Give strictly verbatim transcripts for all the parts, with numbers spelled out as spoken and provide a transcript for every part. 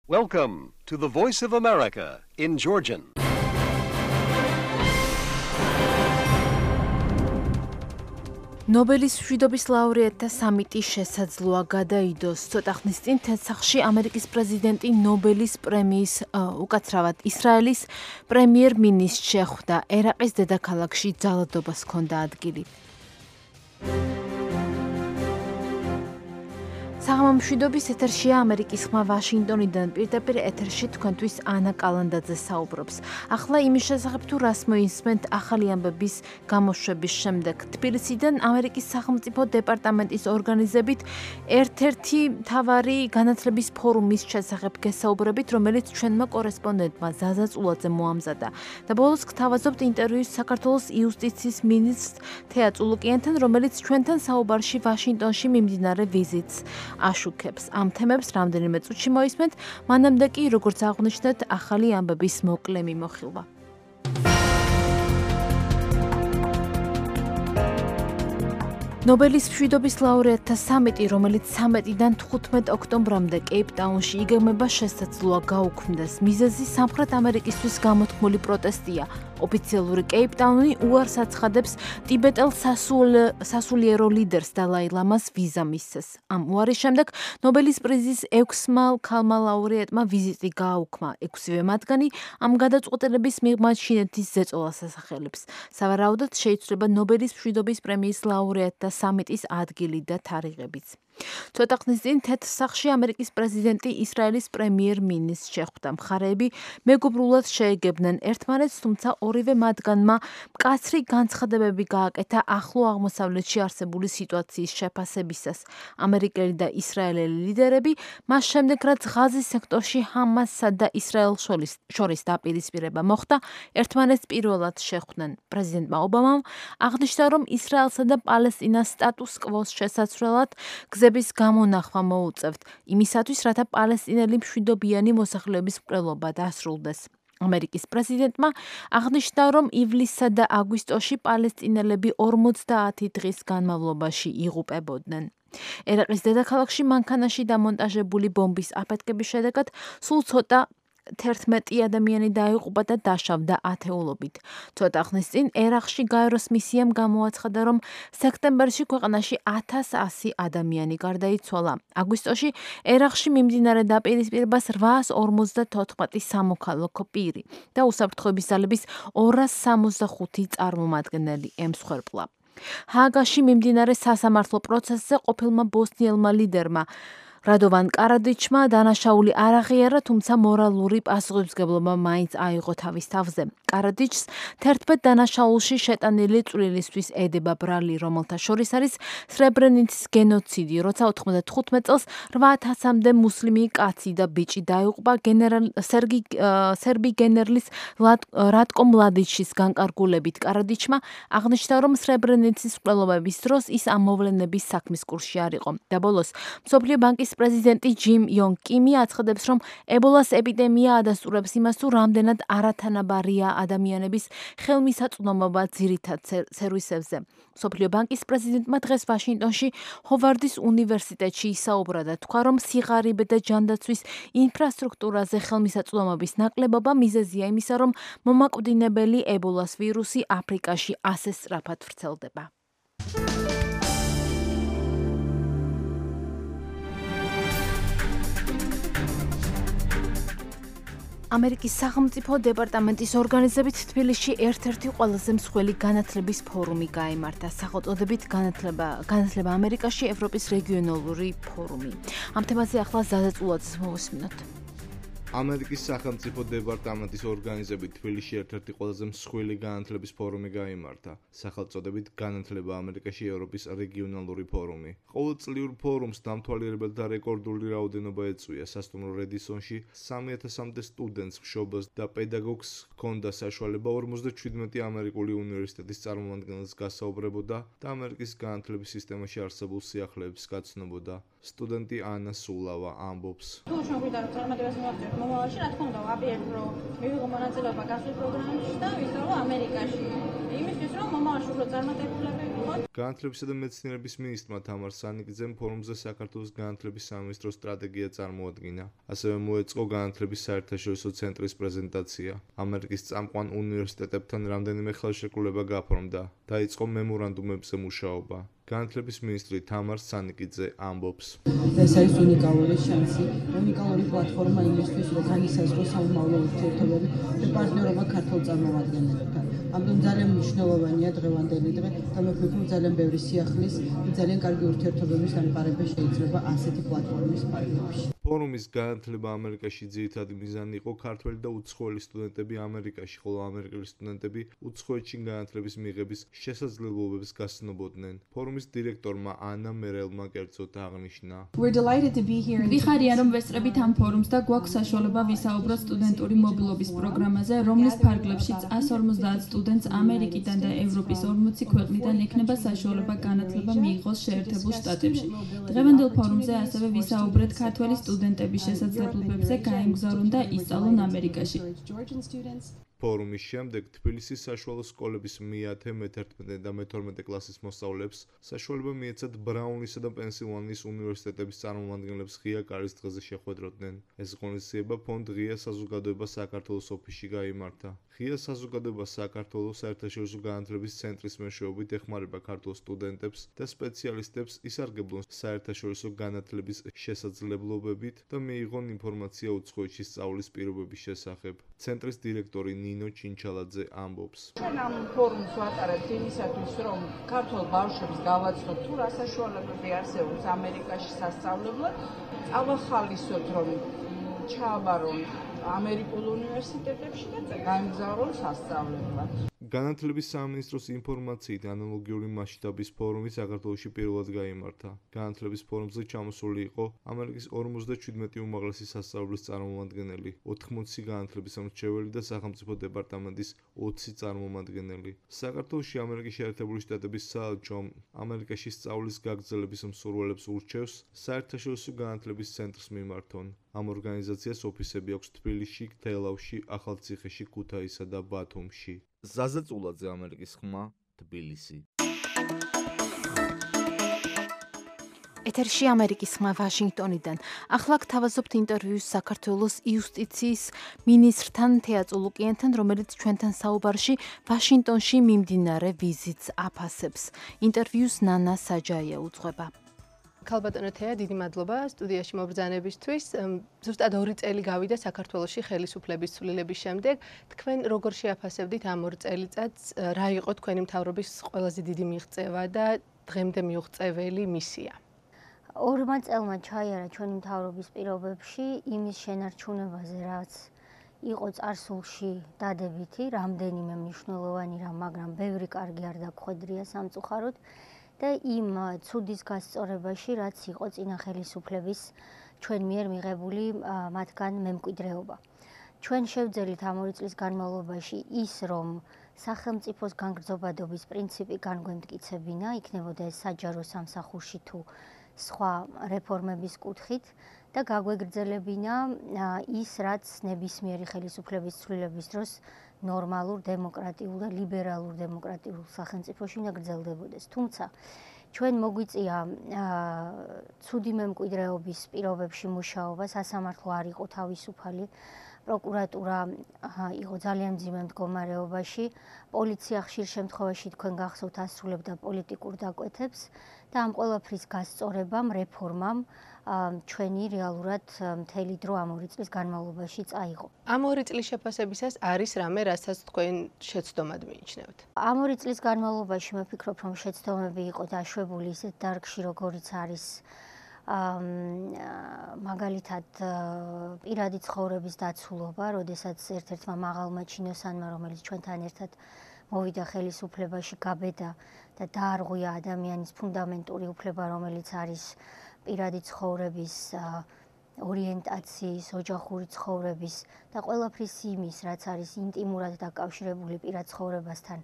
Welcome to the Voice of America in Georgian. ნობელის მშვიდობის ლაურეატთა სამიტი შესაძლოა გადაიდოს. ცოტა ხნის წინ თესახში ამერიკის პრეზიდენტი ნობელის პრემიის უკაცრავად ისრაელის პრემიერ-მინისტრს შეხვდა. ერაყის დედაქალაქში ძალადობას ჰქონდა ადგილი. საღამო მშვიდობის ეთერშია ამერიკის ხმა ვაშინგტონიდან. პირდაპირ ეთერში თქვენთვის ანა კალანდაძე საუბრობს. ახლა იმის შესახებ თუ რას მოისმენთ ახალი ამბების გამოშვების შემდეგ. თბილისიდან ამერიკის სახელმწიფო დეპარტამენტის ორგანიზებით ერთ-ერთი მთავარი განათლების ფორუმის შესახებ გესაუბრებით, რომელიც ჩვენმა კორესპონდენტმა ზაზა წულაძე მოამზადა. და ბოლოს გთავაზობთ ინტერვიუს საქართველოს იუსტიციის მინისტრ თეა წულუკიანთან, რომელიც ჩვენთან საუბარში ვაშინგტონში მიმდინარე ვიზიტს აშუქებს. ამ თემებს რამდენიმე წუთში მოისმენთ, მანამდე კი, როგორც აღვნიშნეთ, ახალი ამბების მოკლე მიმოხილვა. ნობელის მშვიდობის ლაურეატთა სამიტი, რომელიც სამედიდან თხუთმეტ ოქტომბრამდე კეიპტაუნში იგეგმება, შესაძლოა გაუქმდეს. მიზეზი სამხრეთ ამერიკისთვის გამოთქმული პროტესტია. ოფიციალური კეიპტაუნი უარს აცხადებს ტიბეტელ სასულიერო ლიდერს დალაი ლამას ვიზა მისცეს. ამ უარის შემდეგ ნობელის პრიზის ექვსმა ქალმა ლაურეატმა ვიზიტი გააუქმა. ექვსივე მათგანი ამ გადაწყვეტილების მიღმა ჩინეთის ზეწოლას ასახელებს. სავარაუდოდ შეიცვლება ნობელის მშვიდობის პრემიის ლაურეატთა სამიტის ადგილი და თარიღებიც. ცოტა ხნის წინ თეთრ-სახლში ამერიკის პრეზიდენტი ისრაელის პრემიერ-მინისტრს შეხვდა. მხარეები მეგობრულად შეეგებნენ ერთმანეთს, თუმცა ორივე მათგანმა მკაცრი განცხადებები გააკეთა ახლო აღმოსავლეთში არსებული სიტუაციის შეფასებისას. ამერიკელი და ისრაელელი ლიდერები მას შემდეგ, რაც ღაზის სექტორში ჰამასსა და ისრაელს შორის დაპირისპირება მოხდა, ერთმანეთს პირველად შეხვდნენ. პრეზიდენტმა ობამამ აღნიშნა, რომ ისრაელსა და პალესტინას სტატუს კვოს შესაცვლელად გზების გამონახვა მოუწევთ, იმისათვის, რათა პალესტინელი მშვიდობიანი მოსახლეობის მკვლელობა დასრულდეს. ამერიკის პრეზიდენტმა აღნიშნა, რომ ივლისსა და აგვისტოში პალესტინელები ორმოცდაათი დღის განმავლობაში იღუპებოდნენ. ერაყის დედაქალაქში მანქანაში დამონტაჟებული ბომბის აფეთქების შედეგად სულ ცოტა თერთმეტი ადამიანი დაიღუპა და დაშავდა ათეულობით. ცოტა ხნის წინ ერაყში გაეროს მისიამ გამოაცხადა, რომ სექტემბერში ქვეყანაში ათას ასი ადამიანი გარდაიცვალა. აგვისტოში ერაყში მიმდინარე დაპირისპირებას რვაას ორმოცდათოთხმეტი სამოქალაქო პირი და უსაფრთხოების ძალების ორას სამოცდახუთი წარმომადგენელი ემსხვერპლა. ჰააგაში მიმდინარე სასამართლო პროცესზე ყოფილმა ბოსნიელმა ლიდერმა რადოვან კარადიჩმა დანაშაული არ აღიარა, თუმცა მორალური პასუხისმგებლობა მაინც აიღო თავის თავზე. კარადიჩს თერთმეტ დანაშაულში შეტანილი წვლილისთვის ედება ბრალი, რომელთა შორის არის სრებრენიცის გენოციდი, როცა ოთხმოცდათხუთმეტ წელს რვა ათასამდე მუსლიმი კაცი და ბიჭი დაიღუპა სერბი გენერლის რატკო მლადიჩის განკარგულებით. კარადიჩმა აღნიშნა, რომ სრებრენიცის მკვლელობების დროს ის ამ მოვლენების საქმის კურსში არ იყო. და ბოლოს მსოფლიო ბანკის პრეზიდენტი ჯიმ იონ კიმი აცხადებს, რომ ებოლას ეპიდემია ადასტურებს იმას, თუ რამდენად არათანაბარია ადამიანების ხელმისაწვდომობა ძირითად სერვისებზე. მსოფლიო ბანკის პრეზიდენტმა დღეს ვაშინგტონში ჰოვარდის უნივერსიტეტში ისაუბრა და თქვა, რომ სიღარიბე და ჯანდაცვის ინფრასტრუქტურაზე ხელმისაწვდომობის ნაკლებობა მიზეზია იმისა, რომ მომაკვდინებელი ებოლას ვირუსი აფრიკაში ასე სწრაფად ვრცელდება. ამერიკის სახელმწიფო დეპარტამენტის ორგანიზებით თბილისში ერთ-ერთი ყველაზე მსხვილი განათლების ფორუმი გაიმართა, სახელწოდებით განათლება, განათლება ამერიკაში, ევროპის რეგიონალური ფორუმი. ამ თემაზე ახლა ზაზა წულაძეს მოვისმინოთ. ამერიკის სახელმწიფო დეპარტამენტის ორგანიზებით თბილისში ერთ-ერთი ყველაზე მსხვილი განათლების ფორუმი გაიმართა, სახელწოდებით განათლება ამერიკაში, ევროპის რეგიონალური ფორუმი. ყოველწლიურ ფორუმს დამთვალიერებელთა რეკორდული რაოდენობა ეწვია. სასტუმრო რედისონში სამი ათასამდე სტუდენტს, მშობელს და პედაგოგს ჰქონდა საშუალება ორმოცდაჩვიდმეტი ამერიკული უნივერსიტეტის წარმომადგენელს გასაუბრებოდა და ამერიკის განათლების სისტემაში არსებულ სიახლეებს გაცნობოდა. სტუდენტი ანა სულავა ამბობს. მომავალში რა თქმა უნდა ვაპირებ რომ მივიღო მონაწილეობა გასულ პროგრამებში და ვიზრალო ამერიკაში. იმისთვის რომ მომავალში უფრო წარმატებულები ვიყოთ. განათლებისა და მეცნიერების მინისტრმა თამარ სანიკიძემ ფორუმზე საქართველოს განათლების სამინისტროს სტრატეგია წარმოადგინა. ასევე მოეწყო განათლების საერთაშორისო ცენტრის პრეზენტაცია. ამერიკის წამყვან უნივერსიტეტებთან რამდენიმე ხელშეკრულება გაფორმდა. დაიწყო მემორანდუმებზე მუშაობა. განათლების მინისტრი თამარ სანიკიძე ამბობს. ეს არის უნიკალური შანსი, უნიკალური პლატფორმა იმისთვის, რომ განისაზღვროს სამომავლო ურთიერთობები და პარტნიორობა ქართულ წარმომადგენლებთან. ამიტომ ძალიან მნიშვნელოვანია დღევანდელი დღე და მე ვფიქრობ, რომ ძალიან ბევრი სიახლის და ძალიან კარგი ურთიერთობების დამყარება შეიძლება ასეთი პლატფორმის პარალელში. ფორუმის განათლება ამერიკაში ძირითადი მიზანი იყო ქართველი და უცხოელი სტუდენტები ამერიკაში, ხოლო ამერიკელი სტუდენტები უცხოეთში განათლების მიღების შესაძლებლობებს გასცნობოდნენ. ფორუმის დირექტორმა ანა მერელმა კერძოდ აღნიშნა. ვიხარია, რომ ვესწრებით ამ ფორუმს და გვაქვს საშუალება ვისაუბროთ სტუდენტური მობილობის პროგრამაზე, რომლის ფარგლებშიც ას ორმოცდაათ სტუდენტს ამერიკიდან და ევროპის ორმოცი ქვეყნიდან ექნება საშუალება განათლება მიიღოს შეერთებულ შტატებში. დღევანდელ ფორუმზე ასევე ვისაუბრეთ ქართველი სტუდენტების შესაძლებლობებზე გაემგზავრონ და ისწავლონ ამერიკაში. ფორუმის შემდეგ თბილისის საშუალო სკოლების მეათე, მეთერთმეტე და მეთორმეტე კლასის მოსწავლეებს საშუალება მიეცათ ბრაუნლისა და პენსილვანიის უნივერსიტეტების წარმომადგენლებს ღია კარის დღეზე შეხვედროდნენ. ეს ღონისძიება ფონდ ღია საზოგადოება საქართველოს ოფისში გაიმართა. ღია საზოგადოება საქართველოს საერთაშორისო განათლების ცენტრის მეშვეობით ეხმარება ქართულ სტუდენტებს და სპეციალისტებს ისარგებლონ საერთაშორისო განათლების შესაძლებლობებით და მიიღონ ინფორმაცია უცხოეთში სწავლის პირობების შესახებ. ცენტრის დირექტორი ნინო ჩინჩალაძე ამბობს. ჩვენ ამ ფორუმს ვატარებთ იმისათვის, რომ ქართულ ბავშვებს გავაცხოთ თუ რა საშუალებები არსებობს ამერიკაში სასწავლებლად, წავახალისოთ, რომ ჩააბარონ ამერიკულ უნივერსიტეტებში და გაემგზავრონ სასწავლებლად. განათლების სამინისტროს ინფორმაციით ანალოგიური მასშტაბის ფორუმი საქართველოში პირველად გაიმართა. განათლების ფორუმზე ჩამოსული იყო ამერიკის ორმოცდაჩვიდმეტი უმაღლესი სასწავლებლის წარმომადგენელი, ოთხმოცი განათლების მრჩეველი და სახელმწიფო დეპარტამენტის ოცი წარმომადგენელი. საქართველოში ამერიკის შეერთებული შტატების საელჩო ამერიკაში სწავლის გაგრძელების მსურველებს ურჩევს საერთაშორისო განათლების ცენტრს მიმართონ. ამ ორგანიზაციას ოფისები აქვს თბილისში, თელავში, ახალციხეში, ქუთაისსა და ბათუმში. ზაზა წულაძე, ამერიკის ხმა, თბილისი. ეთერში ამერიკის ხმა ვაშინგტონიდან. ახლა გთავაზობთ ინტერვიუს საქართველოს იუსტიციის მინისტრთან თეაწ ულუკიანთან, რომელიც ჩვენთან საუბარში ვაშინგტონში მიმდინარე ვიზიტს აფასებს. ინტერვიუს ნანა საჯაია უძღვება. ქალბატონო თეა, დიდი მადლობა სტუდიაში მობრძანებისთვის. ზუსტად ორი წელი გავიდა საქართველოში ხელისუფლების ცვლილების შემდეგ. თქვენ როგორ შეაფასებდით ამ ორ წელიწადს, რა იყო თქვენი მთავრობის ყველაზე დიდი მიღწევა და დღემდე მიუღწეველი მისია? ორმა წელმა ჩაიარა ჩვენი მთავრობის პირობებში იმის შენარჩუნებაზე, რაც იყო წარსულში დადებითი, რამდენიმე მნიშვნელოვანი რამ, მაგრამ ბევრი კარგი არ დაგხვედრია სამწუხაროდ. და იმ ცუდის გასწორებაში, რაც იყო წინა ხელისუფლების ჩვენ მიერ მიღებული მათგან მემკვიდრეობა. ჩვენ შევძელით ამ ორი წლის განმავლობაში ის, რომ სახელმწიფოს განგრძობადობის პრინციპი განგვემტკიცებინა, იქნებოდა ეს საჯარო სამსახურში თუ სხვა რეფორმების კუთხით და გაგვეგრძელებინა ის, რაც ნებისმიერი ხელისუფლების ცვლილების დროს ნორმალურ, დემოკრატიულ და ლიბერალურ დემოკრატიულ სახელმწიფოში უნდა გრძელდებოდეს. თუმცა ჩვენ მოგვიწია ცუდი მემკვიდრეობის პირობებში მუშაობა, სასამართლო არ იყო თავისუფალი, პროკურატურა იყო ძალიან მძიმე მდგომარეობაში, პოლიცია ხშირ შემთხვევაში თქვენ გახსოვთ ასრულებდა პოლიტიკურ დაკვეთებს და ამ ყველაფრის გასწორებამ, რეფორმამ ჩვენი რეალურად მთელი დრო ამ ორი წლის განმავლობაში წაიღო. ამ ორი წლის შეფასებისას არის რამე, რასაც თქვენ შეცდომად მიიჩნევთ? ამ ორი წლის განმავლობაში მე ვფიქრობ, რომ შეცდომები იყო დაშვებული ისეთ დარგში, როგორიც არის მაგალითად პირადი ცხოვრების დაცულობა, როდესაც ერთ-ერთმა მაღალმა ჩინოსანმა, რომელიც ჩვენთან ერთად მოვიდა ხელისუფლებაში, გაბედა და დაარღვია ადამიანის ფუნდამენტური უფლება, რომელიც არის პირადი ცხოვრების, ორიენტაციის, ოჯახური ცხოვრების და ყველაფრის იმის, რაც არის ინტიმურად დაკავშირებული პირად ცხოვრებასთან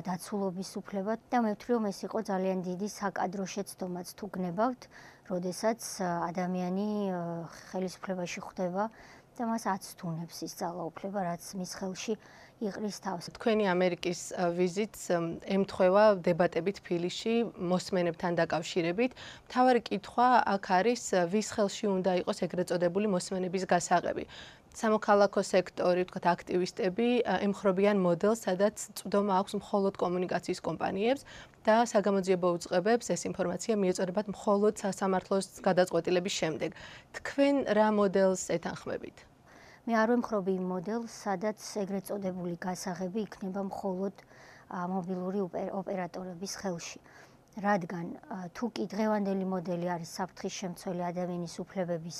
დაცულობის უფლება და მე ვთვლი, რომ ეს იყო ძალიან დიდი საკადრო შეცდომაც თუ გნებავთ, როდესაც ადამიანი ხელისუფლებაში ხვდება და მას აცდუნებს ის ძალაუფლება, რაც მის ხელში იყრის თავს. თქვენი ამერიკის ვიზიტს ემთხვევა დებატებით თბილისში მოსმენებთან დაკავშირებით. მთავარი კითხვა აქ არის, ვის ხელში უნდა იყოს ეგრეთ წოდებული მოსმენების გასაღები. სამოქალაქო სექტორი, ვთქვათ, აქტივისტები ემხრობიან მოდელს, სადაც წვდომა აქვს მხოლოდ კომუნიკაციის კომპანიებს და საგამოძიებო უწყებებს ეს ინფორმაცია მიეწოდებათ მხოლოდ სასამართლოს გადაწყვეტილების შემდეგ. თქვენ რა მოდელს ეთანხმებით? მე არ ვემხრობი იმ მოდელს, სადაც ეგრეთ წოდებული გასაღები იქნება მხოლოდ მობილური ოპერატორების ხელში. რადგან თუ კი დღევანდელი მოდელი არის საფრთხის შემცველი ადამიანის უფლებების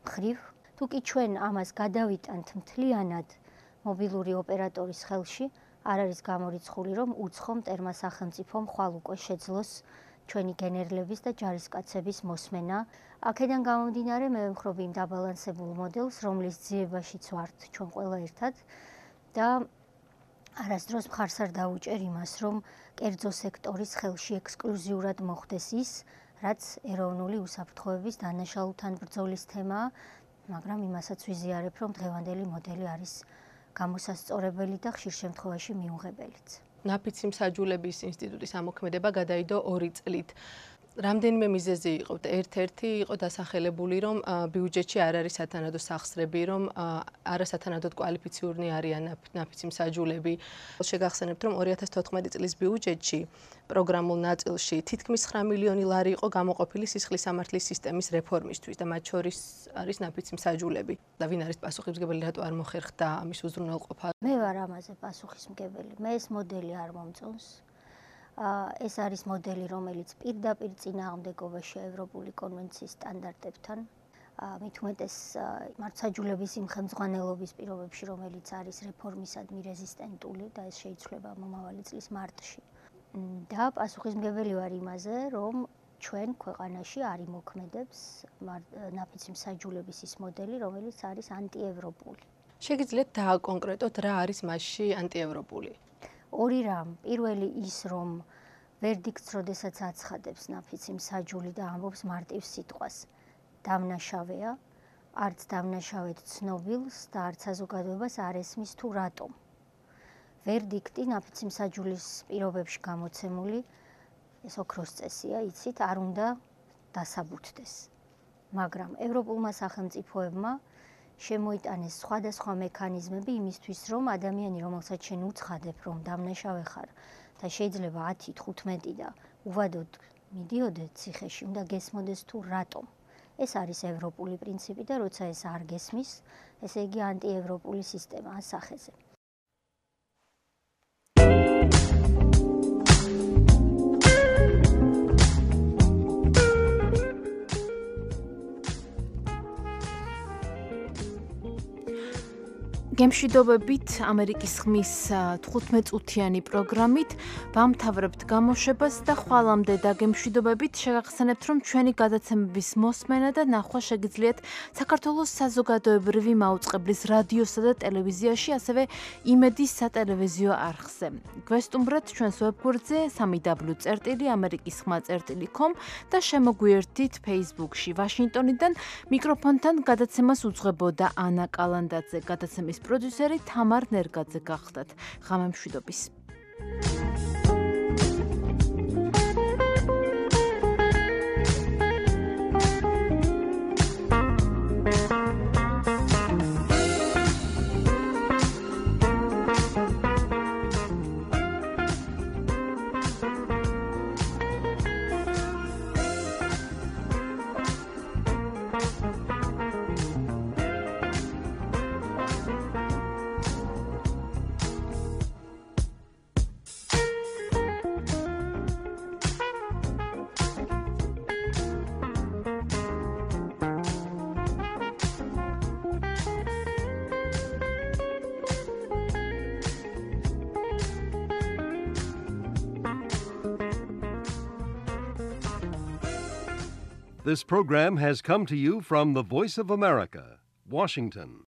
მხრივ, თუ კი ჩვენ ამას გადავიტანთ მთლიანად მობილური ოპერატორის ხელში, არ არის გამორიცხული, რომ უცხო მტერმა სახელმწიფომ ხვალ უკვე შეძლოს ჩვენი გენერლების და ჯარისკაცების მოსმენა. აქედან გამომდინარე, მე ვემხრობი იმ დაბალანსებულ მოდელს, რომლის ძიებაშიც ვართ ჩვენ ყველა ერთად და არასდროს მხარს არ დავუჭერ იმას, რომ კერძო სექტორის ხელში ექსკლუზიურად მოხდეს ის, რაც ეროვნული უსაფრთხოების დანაშაულთან ბრძოლის თემაა, მაგრამ იმასაც ვიზიარებ, რომ დღევანდელი მოდელი არის გამოსასწორებელი და ხშირ შემთხვევაში მიუღებელიც. ნაფიცი მსაჯულების ინსტიტუტის ამოქმედება გადაიდო ორი წლით. რამდენიმე მიზეზი იყო. ერთ-ერთი იყო დასახელებული, რომ ბიუჯეტში არ არის სათანადო სახსრები, რომ არასათანადოდ კვალიფიციური არიან ნაფიცი მსაჯულები. შეგახსენებთ, რომ ორი ათას თოთხმეტი წლის ბიუჯეტში პროგრამულ ნაწილში თითქმის ცხრა მილიონი ლარი იყო გამოყოფილი სისხლის სამართლის სისტემის რეფორმისთვის და მათ შორის არის ნაფიცი მსაჯულები. და ვინ არის პასუხისმგებელი, რატო არ მოხერხდა ამის უზრუნველყოფა? მე ვარ ამაზე პასუხისმგებელი. მე ეს მოდელი არ მომწონს. ეს არის მოდელი, რომელიც პირდაპირ წინააღმდეგობაშია ევროპული კონვენციის სტანდარტებთან. მით უმეტეს მართლმსაჯულების იმ ხელმძღვანელობის პირობებში, რომელიც არის რეფორმისადმი რეზისტენტული და ეს შეიცვლება მომავალი წლის მარტში. და პასუხისმგებელი ვარ იმაზე, რომ ჩვენ ქვეყანაში არ იმოქმედებს ნაფიცი მსაჯულების ის მოდელი, რომელიც არის ანტიევროპული. შეგიძლიათ დააკონკრეტოთ, რა არის მასში ანტიევროპული? ორი რამ. პირველი ის, რომ ვერდიქტს როდესაც აცხადებს ნაფიცი მსაჯული და ამბობს მარტივ სიტყვას, დამნაშავეა, არც დამნაშავედ ცნობილს და არც საზოგადოებას არ ესმის თუ რატომ. ვერდიქტი ნაფიცი მსაჯულის პირობებში გამოცემული, ეს ოქროს წესია, იცით, არ უნდა დასაბუთდეს. მაგრამ ევროპულმა სახელმწიფოებმა შემოიტანეს სხვადასხვა მექანიზმები იმისთვის, რომ ადამიანი, რომელსაც შენ უცხადებ, რომ დამნაშავე ხარ და შეიძლება ათი, თხუთმეტი და უვადოდ მიდიოდე ციხეში, უნდა გესმოდეს თუ რატომ. ეს არის ევროპული პრინციპი და როცა ეს არ გესმის, ესე იგი ანტიევროპული სისტემაა სახეზე. გემშვიდობებით ამერიკის ხმის თხუთმეტ წუთიანი პროგრამით ვამთავრებთ გამოშვებას და ხვალამდე და გემშვიდობებით შეგახსენებთ, რომ ჩვენი გადაცემების მოსმენა და ნახვა შეგიძლიათ საქართველოს საზოგადოებრივი მაუწყებლის რადიოსა და ტელევიზიაში, ასევე იმედის სატელევიზიო არხზე. გვესტუმრეთ ჩვენს ვებგვერდზე სამი დაბლიუ წერტილი ამერიკის ხმა წერტილი com და შემოგვიერთდით Facebook-ში. ვაშინგტონიდან მიკროფონთან გადაცემას უძღვებოდა ანა კალანდაძე, გადაცემის პროდიუსერი თამარ ნერგაძე გახდათ. ღამემშვიდობის. This program has come to you from the Voice of America, Washington.